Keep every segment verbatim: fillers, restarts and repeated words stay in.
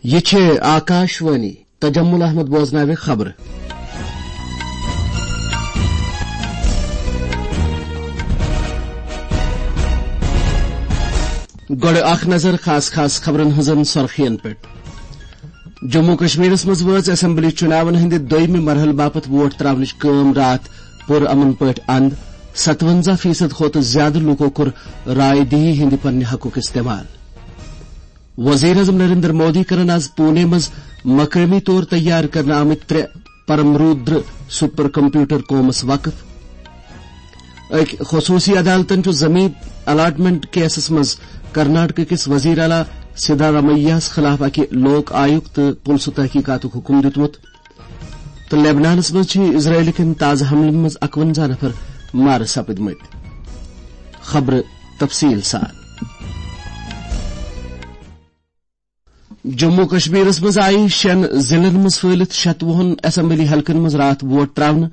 یہ چھے آکاشوانی۔ تجمل احمد بوزناوِ خبرٕ۔ گۄڈٕ اکھ نظر خاص خاص خبرن ہٕنٛزن سرخین پٮ۪ٹھ۔ جموں کشمیرس منٛز وٲژ اسمبلی چُناون ہٕنٛدِ دوٚیمہِ مرحلہٕ باپتھ ووٹ تراونٕچ کٲم راتھ پُر امن پٲٹھۍ اند۔ ستونزہ فیصد کھۄتہٕ زیادٕ لوٗکو کوٚر راے دہی ہٕنٛدِ پننہِ حقُک استعمال۔ وزیر اعظم نریندر مودی کرن آز پونے منٛز مقٲمی طور تیار کرنہٕ آمٕتۍ ترٛےٚ پرم رودر سپر کمپیوٹر قومس وقف۔ أکۍ خصوٗصی عدالتن چھُ زمین الاٹمنٹ کیسس منٛز کرناٹکہ کِس وزیر اعلیٰ سدھارمیاہس خلاف اکہِ لوک آیُکت تہٕ پُلسہٕ تحقیقاتُک حکم دیُتمُت۔ تہٕ لیبنانس منٛز چھِ اسرائیل کٮ۪ن تازٕ حملن منٛز اکونزہ نفر مارٕ سپٕدمٕتۍ۔ خبرٕ تفصیل سان۔ جموں کشمیرس منٛز آیہِ شٮ۪ن ضلعن منٛز پھٔہلِتھ شتوُہن اسمبلی حلقن منٛز راتھ ووٹ تراونہٕ۔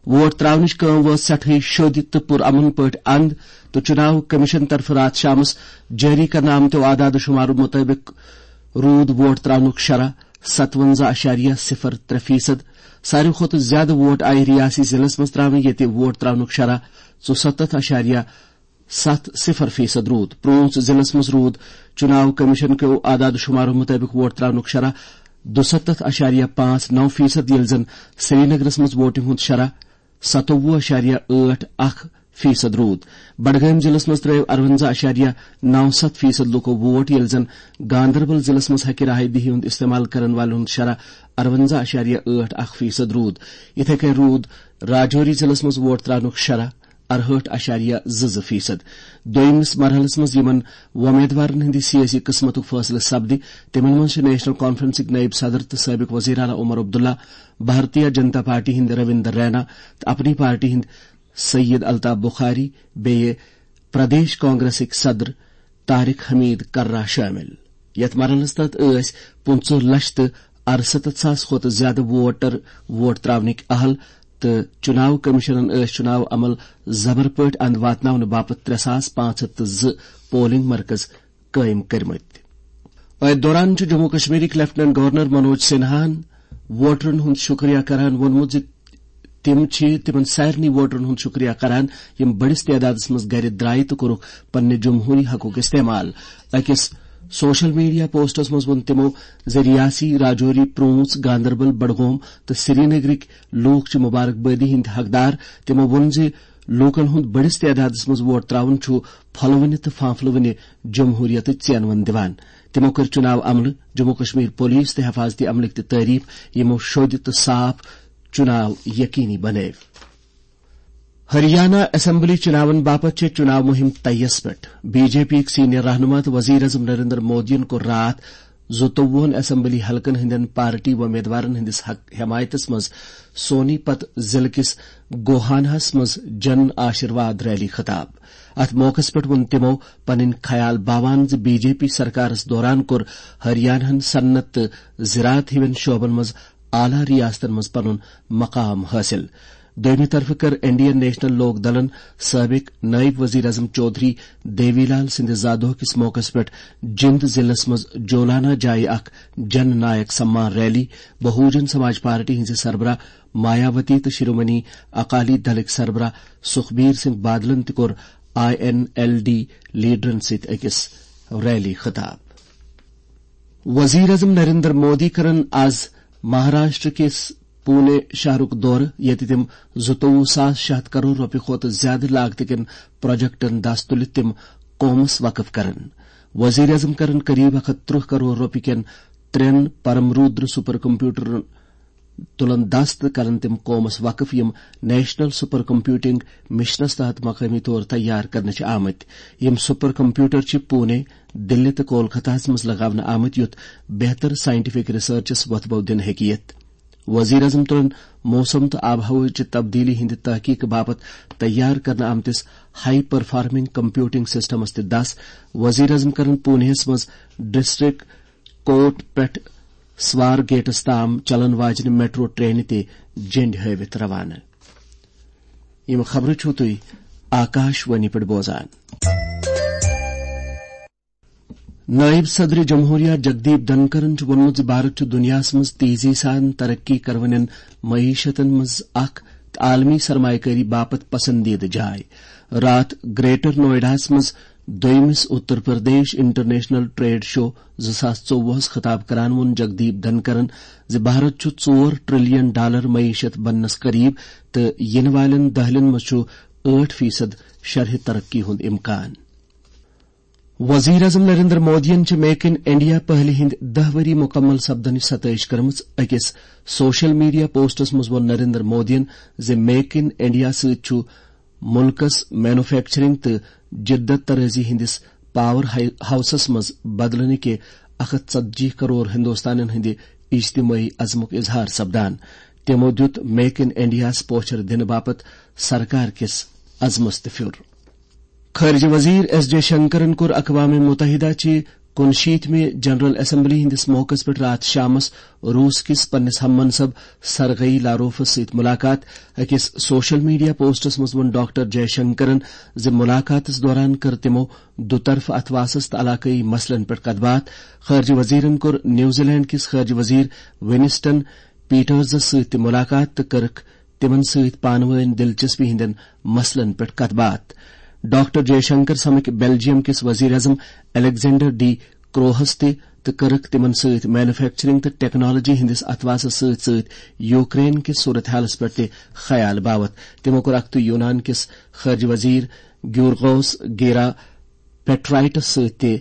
ووٹ تراونٕچ کٲم وٲژ سٮ۪ٹھٕے شوٚدِ تہٕ پُرامن پٲٹھۍ اند، تہٕ چُناو کمیشن طرفہٕ راتھ شامس جٲری کرنہٕ آمتیو اعداد و شمارو مُطٲبِق روٗد ووٹ تراونُک شرح ستونزہ اشاریہ صفر ترٛےٚ فیصد۔ ساروی کھۄتہٕ زیادٕ ووٹ آیہِ ریاسی ضلعس منٛز تراونہٕ، ییٚتہِ ووٹ تراونُک شرح ژُستتھ اشاریہ ستھ صفر فیصد روٗد۔ پرونس ضلعس منٛز روٗد چُناو کمیشن کیو اعداد و شمارو مُطٲبِق ووٹ تراونُک شرح دُستتھ اشاریہ پانٛژھ نو فیصد، ییٚلہِ زن سرینگرس منٛز ووٹہِ ہُنٛد شرح ستووُہ اشاریہ ٲٹھ اکھ فیصد روٗد۔ بڈگٲمۍ ضلعس منٛز ترٲو ارونزہ اشاریہ نو ستھ فیصد لوٗکو ووٹ، ییٚلہِ زن گاندربل ضلعس منٛز حقہِ راہے دہی ہُنٛد استعمال کرن والٮ۪ن ہُنٛد شرح ارونزہ اشاریہ ٲٹھ اکھ فیصد روٗد۔ یِتھے کٔنۍ روٗد راجوری ضلعس منٛز ووٹ تراونُک شرح ارہٲٹھ اشاریہ زٕ زٕ فیصد۔ دوٚیمِس مرحلس منٛز یِمن وۄمیدوارن ہٕنٛدِ سیٲسی قٕسمتُک فٲصلہٕ سپدِ، تِمن منٛز چھِ نیشنل کانفرنسٕکۍ نٲیِب صدر تہٕ سٲبِق وزیر اعلیٰ عمر عبداللہ، بھارتیہ جنتا پارٹی ہٕنٛدۍ رویندر رینا تہٕ اپنی پارٹی ہٕنٛدۍ سید الطاف بخاری، بیٚیہِ پردیش کانگریسٕکۍ صدر طارق حمید کرہ شٲمِل۔ یتھ مرحلس تحت ٲسۍ پٕنٛژٕہ لچھ تہٕ ارستتھ ساس کھۄتہٕ زیادٕ ووٹر ووٹ تراونٕکۍ اہل، تہٕ چُناو کمیشنن ٲسۍ چُناو عمل زبر پٲٹھۍ اند واتناونہٕ باپتھ ترٛےٚ ساس پانٛژھ ہتھ تہٕ زٕ پولنگ مرکز قٲیِم کٔرمٕتۍ۔ أتھۍ دوران چھُ جموں کشمیرٕکۍ لیفٹیننٹ گورنر منوج سنہاہن ووٹرن ہُنٛد شُکریہ کران ووٚنمُت زِ تِم چھِ تِمن سارنٕے ووٹرن ہُنٛد شُکریہ کران، یِم بٔڑِس تعدادس منٛز گرِ درٛایہِ تہٕ کوٚرُکھ پننہِ جمہوٗری حقُک استعمال۔ أکِس سوشل میڈیا پوسٹس منٛز ووٚن تِمو زِ ریاسی، راجوری، پرونس، گاندربل، بڈگوم تہٕ سرینگرٕکۍ لوٗکھ چھِ مبارک بٲدی ہٕنٛدۍ حقدار۔ تِمو ووٚن زِ لوٗکن ہُنٛد بٔڑِس تعدادس منٛز ووٹ تراوُن چھُ پھۄلوٕنہِ تہٕ فانفلوٕنہِ جمہوٗریتٕچ ژینوَن دِوان۔ تِمو کٔر چُناو عملہٕ، جموں کشمیر پولیس تہٕ حفاظتی عملٕکۍ تہِ تعریف، یِمو شوٚدۍ تہٕ صاف چُناو یقینی بنٲوۍ۔ ہریانہ اسمبلی چُناون باپتھ چھِ چُناو مُہِم تیس پٮ۪ٹھ۔ بی جے پی یِکۍ سینئر رہنما تہٕ وزیر اعظم نریندر مودیَن کوٚر راتھ زٕتووُہن اسمبلی حلقن ہٕنٛدٮ۪ن پارٹی وۄمیدوارن ہٕنٛدِس حق حمایتس منٛز سونی پت ضلعہٕ کِس گوہانہس منٛز جن آشیرواد ریلی خطاب۔ اتھ موقعس پٮ۪ٹھ ووٚن تِمو پنٕنۍ خیال باوان زِ بی جے پی سرکارس دوران کوٚر ہریانہن صنعت تہٕ زراعت ہِوٮ۪ن شعبن منٛز اعلیٰ ریاستن منٛز پنُن مقام حٲصِل۔ دوٚیمہِ طرفہٕ کٔر انڈین نیشنل لوک دلن سٲبق نائب وزیر اعظم چودھری دیوی لال سٕنٛدِ زادوہ کِس موقعس پٮ۪ٹھ جِنٛد ضلعس منٛز جولانہ جایہِ اکھ جن نایک سمان ریلی۔ بہوجن سماج پارٹی ہٕنٛزِ سربراہ مایاوتی تہٕ شرومنی اکالی دلٕکۍ سربراہ سُکھبیر سنگھ بادلن تہِ کوٚر آئی این ایل ڈی لیڈرن سۭتۍ أکِس ریلی خطاب۔ وزیر اعظم نریندر مودی کرن آز مہاراشٹر کِس پونے شہرُک دورٕ، ییٚتہِ تِم زٕتووُہ ساس شےٚ ہتھ کرور رۄپیہِ کھۄتہٕ زیادٕ لاگتہٕ کٮ۪ن پروجیکٹن دَس تُلِتھ تِم قومس وقف کرن۔ وزیر اعظم کرن قریب اکھ ہتھ ترٕٛہ کرور رۄپیہِ کٮ۪ن ترٛٮ۪ن پرم رودر سپر کمپیوٹرن تُلن دَس تہٕ کرن تِم قومس وقف، یِم نیشنل سپر کمپیوٹنگ مشنس تحت مقٲمی طور تیار کرنہٕ چھِ آمٕتۍ۔ یِم سپر کمپیوٹر چھِ پونے، دِلہِ تہٕ کولکتہس منٛز لگاونہٕ آمٕتۍ، یُتھ بہتر سائنٹیفک ریسرچس وۄتھٕ بو دِنہٕ ہیٚکہِ یِتھ۔ وزیر اعظم تُلن موسم تہٕ آب و ہوہٕچہِ تبدیلی ہٕنٛدِ تحقیق باپتھ تیار کرنہٕ آمتِس ہائی پرفارمنگ کمپیوٹنگ سسٹمس تہِ دَس۔ وزیر اعظم کرن پونیَس منٛز ڈسٹرکٹ کورٹ پٮ۪ٹھ سوار گیٹس تام چلن واجنہِ میٹرو ٹرینہِ تہِ جنڈِ ہٲوِتھ روانہٕ۔ یِم خبرٕ چھِو تُہۍ آکاش وانی پٮ۪ٹھ بوزان۔ نائب صدر جمہوریہ جگدیپ دھنکرن چھُ ووٚنمُت زِ بھارت چھُ دُنیاہَس منٛز تیزی سان ترقی کرونن معیشتن منٛز اکھ تہٕ عالمی سرمایہ کٲری باپتھ پسندیدٕ جاے۔ راتھ گریٹر نوئیڈاہَس منٛز دوٚیمِس Uttar Pradesh international trade show زٕ ساس ژوٚوُہَس خطاب کران ووٚن جگدیپ دھنکرن زِ بھارت چھُ ژور ٹریلین ڈالر معیشت بننس قریب تہٕ یِنہٕ والٮ۪ن دہلٮ۪ن منٛز چھُ ٲٹھ فیصد شرح ترقی ہُنٛد امکان۔ وزیر اعظم نریندر مودیَن چھِ میک ان انڈیا پہلہِ ہٕنٛدۍ دَہ ؤری مکمل سپدنٕچ ستائش کٔرمٕژ۔ أکِس سوشل میڈیا پوسٹس منٛز ووٚن نریندر مودیَن زِ میک ان انڈیا سۭتۍ چھُ مُلکَس مینوفیکچرنگ تہٕ جدت طرازی ہٕنٛدِس پاور ہائی-، ہاؤسس منٛز بدلنہٕ کہِ اکھ ہتھ ژتجی کرور ہندوستانن ہٕنٛدِ اجتماعی عزمُک اظہار سپدان۔ تِمو دیُت میک ان انڈیاہَس پوچھر دِنہٕ باپتھ سرکار کِس عزمس تہِ پھیُر۔ خارجہ وزیر ایس جے شنکرن کوٚر اقوام متحدہ چہِ کُنشیٖتمہِ جنرل اسمبلی ہٕنٛدِس موقعس پٮ۪ٹھ راتھ شامس روٗس کِس پننِس ہم منصب سرگئی لاروفس سۭتۍ مُلاقات۔ أکِس سوشل میڈیا پوسٹس منٛز ووٚن ڈاکٹر جے شنکرن زِ مُلاقاتس دوران کٔر تِمو دُطرفہٕ اتھواسس تہٕ علاقٲیی مسلن پٮ۪ٹھ کتھ باتھ۔ خارجہ وزیرن کوٚر نیوزی لینڈ کِس خارجہ وزیر ونسٹن پیٹرزس سۭتۍ تہِ مُلاقات تہٕ کٔرٕکھ تِمن سۭتۍ پانہٕ وٲنۍ دلچسپی ہٕنٛدٮ۪ن مسلن پٮ۪ٹھ کتھ باتھ۔ ڈاکٹر جے شنکر سمکھۍ بیلجیم کِس وزیر اعظم الیگزینڈر ڈی کروہس تہِ تہٕ کٔرٕکھ تِمن سۭتۍ مینوفیکچرنگ تہٕ ٹیکنالوجی ہٕنٛدِس اتھواسس سۭتۍ سۭتۍ یوکرین کِس صورت حالس پٮ۪ٹھ تہِ خیال باوتھ۔ تِمو کوٚر اکھ تہٕ یونان کِس خارجہ وزیر گیورگوس گیرا پیٹرائٹس سۭتۍ تہِ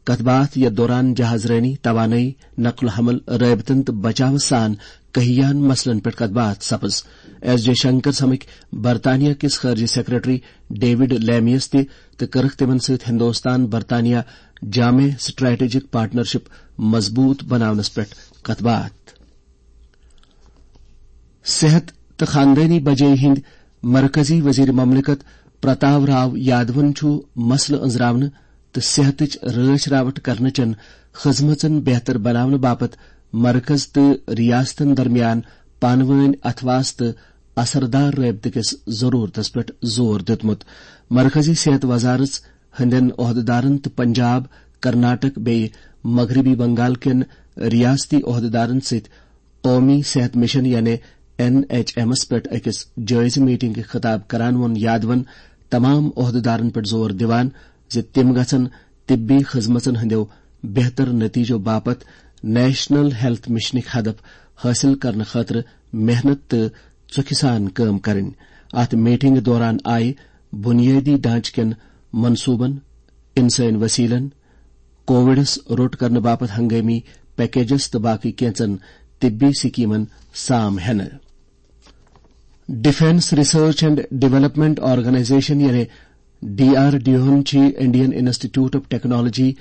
کتھ باتھ، یتھ دوران جہاز رٲنی، توانٲیی، نقل و حمل، رٲبطن تہٕ بچاوس سان کہیان مسلن پٮ۪ٹھ کتھ باتھ سپٕز۔ ایس جے شنکر سمکھۍ برطانیہ کِس خارجہ سیکرٹری ڈیوڈ لیمیس تہِ تہٕ کٔرٕکھ تِمن سۭتۍ ہندوستان برطانیہ جامع سٹریٹجک پارٹنرشپ مضبوط بناونس پٮ۪ٹھ کتھ باتھ۔ صحت تہٕ خاندٲنی بجٲیی ہٕنٛدۍ مرکزی وزیر مملکت پرتاو راو یادون چھُ مسلہٕ أنٛزراونہٕ تہٕ صحتٕچ رٲچھ راوٹھ کرنہٕ چٮ۪ن خدمژن بہتر بناونہٕ باپتھ مرکز تہٕ ریاستن درمیان پانہٕ وٲنۍ اتھواس تہٕ اثردار رٲبطہٕ کِس ضرورتس پٮ۪ٹھ زور دیُتمُت۔ مرکزی صحت وزارت ہٕنٛدٮ۪ن عہدٕدارن تہٕ پنجاب، کرناٹک بیٚیہِ مغربی بنگال کٮ۪ن ریاستی عہدٕدارن سۭتۍ قومی صحت مشن یعنی این ایچ ایمس پٮ۪ٹھ أکِس جٲیزٕ میٹنگہِ خطاب کران ووٚن یادون تمام عہدٕدارن پٮ۪ٹھ زور دِوان زِ تِم گژھن طبی خدمژن ہٕنٛدیو بہتر نتیجو باپتھ نیشنل ہیلتھ مشنٕکۍ ہدف حٲصِل کرنہٕ خٲطرٕ محنت تہٕ ژۄکھِ سان کٲم کرٕنۍ۔ اتھ میٹنگہِ دوران آیہِ بنیٲدی ڈھانچہٕ کٮ۪ن منصوبن، انسٲنی وسیلن، کووڈس روٚٹ کرنہٕ باپتھ ہنگٲمی پیکیجس تہٕ باقٕے کینژن طبی سکیمن سام ہینہٕ۔ Defence research and development organisation یعنی ڈی آر ڈی اوہن چھِ Indian institute of technology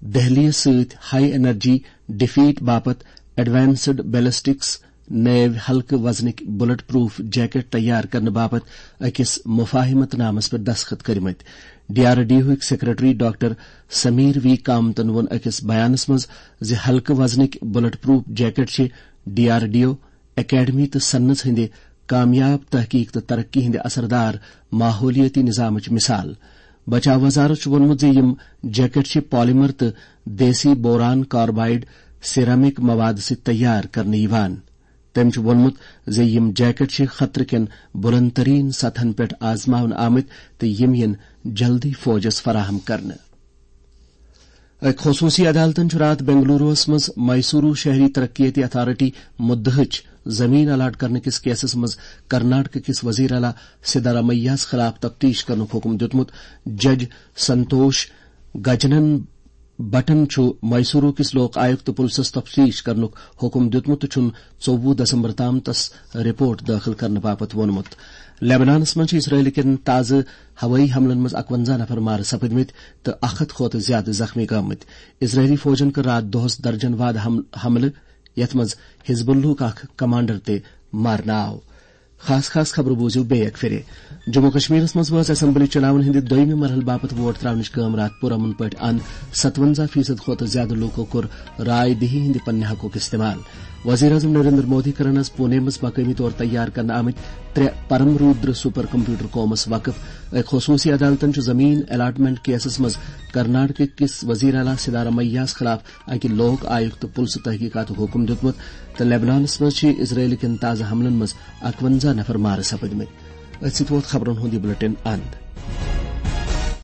Delhi سۭتۍ ہائی انرجی ڈیفیٹ باپتھ ایڈوانسڈ بیلسٹکس نیوِ ہلکہٕ وزنٕکۍ بلٹ پروف جیکٹ تیار کرنہٕ باپتھ أکِس مفاہمت نامس پٮ۪ٹھ دستخط کٔرمٕتۍ۔ ڈی آر ڈی اوہٕکۍ سیکرٹری ڈاکٹر سمیر وی کامتن ووٚن أکِس بیانس منٛز زِ ہلکہٕ وزنٕکۍ بلٹ پروف جیکٹ چھِ D R D O academy تہٕ صنعت ہٕنٛدِ کامیاب تحقیق تہٕ ترقی ہٕنٛدِ اثردار ماحولیٲتی نظامٕچ مثال۔ بچاو وزارت چھُ ووٚنمُت زِ یِم جیکٹ چھِ پالیمر تہٕ دیسی بوران کاربائیڈ سیرامک مواد سۭتۍ تیار کرنہٕ یِوان۔ تٔمۍ چھُ ووٚنمُت زِ یِم جیکٹ چھِ خطرٕ کٮ۪ن بُلند ترین سطحن پٮ۪ٹھ آزماونہٕ آمٕتۍ تہٕ یِم یِن جلدی فوجَس فراہم کرنہٕ۔ أکۍ خصوٗصی عدالتَن چھُ راتھ بنگلوروَس منٛز میسورو شہری ترقیتی اتھارٹی مدعاہٕچ زمین الاٹ کرنہٕ کِس کیسَس منٛز کرناٹک کِس وزیر اعلیٰ سدارامیا ہَس خلاف تفتیش کرنُک حکم دیُتمُت۔ جج سنتوش گجنن بٹن چھُ میسورو کِس لوک آیُکت پُلسَس تفتیش کرنُک حکم دیُتمُت تہٕ چھُن ژوٚوُہ دسمبر تام تس رپورٹ دٲخل کرنہٕ باپتھ ووٚنمُت۔ لیبنانَس منٛز چھِ اسرائیل کٮ۪ن تازٕ ہوٲیی حملن منٛز اَکوَنزاہ نفر مارٕ سپٕدمٕتۍ تہٕ اکھ ہتھ کھۄتہٕ زیادٕ زخمی گٔمٕتۍ۔ اسرائیلی فوجَن کٔر راتھ دۄہَس درجن واد حم-، حملہٕ، یَتھ منٛز حزب اللہُک اکھ کمانڈر تہِ مارنہٕ آو۔ خاص خاص خبرٕ بوٗزِو بیٚیہِ اکہِ پھِرِ۔ جموں کشمیرس منٛز وٲژ اسمبلی چُناون ہٕنٛدِ دوٚیمہِ مرحلہٕ باپتھ ووٹ ترٛاونٕچ کٲم راتھ پُرامن پٲٹھۍ اند۔ ستونزہ فیصد کھۄتہٕ زیادٕ لوٗکو کوٚر راے دہی ہٕنٛدِ پننہِ حقُک استعمال۔ وزیر اعظم نریندر مودی کرن از پونے منٛز مقٲمی طور تیار کرنہٕ آمٕتۍ ترٛےٚ پرم رودر سپر کمپیوٹر قومس وقف۔ أکۍ خصوصی عدالتن چھُ زمین الاٹمنٹ کیسس منٛز کرناٹک کِس وزیر اعلیٰ سدارامیا ہَس خلاف اکہِ لوک آیُکت پُلسہٕ تحقیقاتُک حکم دیُتمُت، تہٕ لیبنانس منٛز چھِ اسرائیل کٮ۪ن تازٕ حملن منٛز اکونزہ نفر مارٕ سپٕدمٕتۍ۔ أتھۍ سۭتۍ ووت خبرن ہُنٛد یہِ بلیٹن اند۔